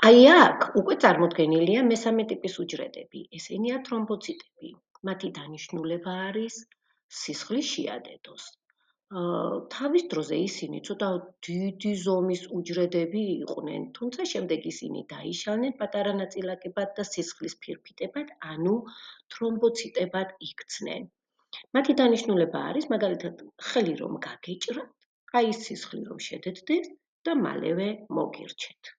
აი აქ უკვე წარმოდგენილია მესამე ტიპის უჯრედები, ესენია თრომბოციტები. მათი დანიშნულება არის სისხლის შეადედოს. თავის დროზე ისინი ცოტა დიდი ზომის უჯრედები იყვნენ, თუმცა შემდეგ ისინი დაიშალნენ პატარა ნაწილაკებად და სისხლის ფირფიტებად, ანუ თრომბოციტებად იქცნენ. მათი დანიშნულება არის, მაგალითად, ხელი რომ გაგეჭრათ, აი სისხლი რომ შედედდეს და მალევე მოგირჩეთ.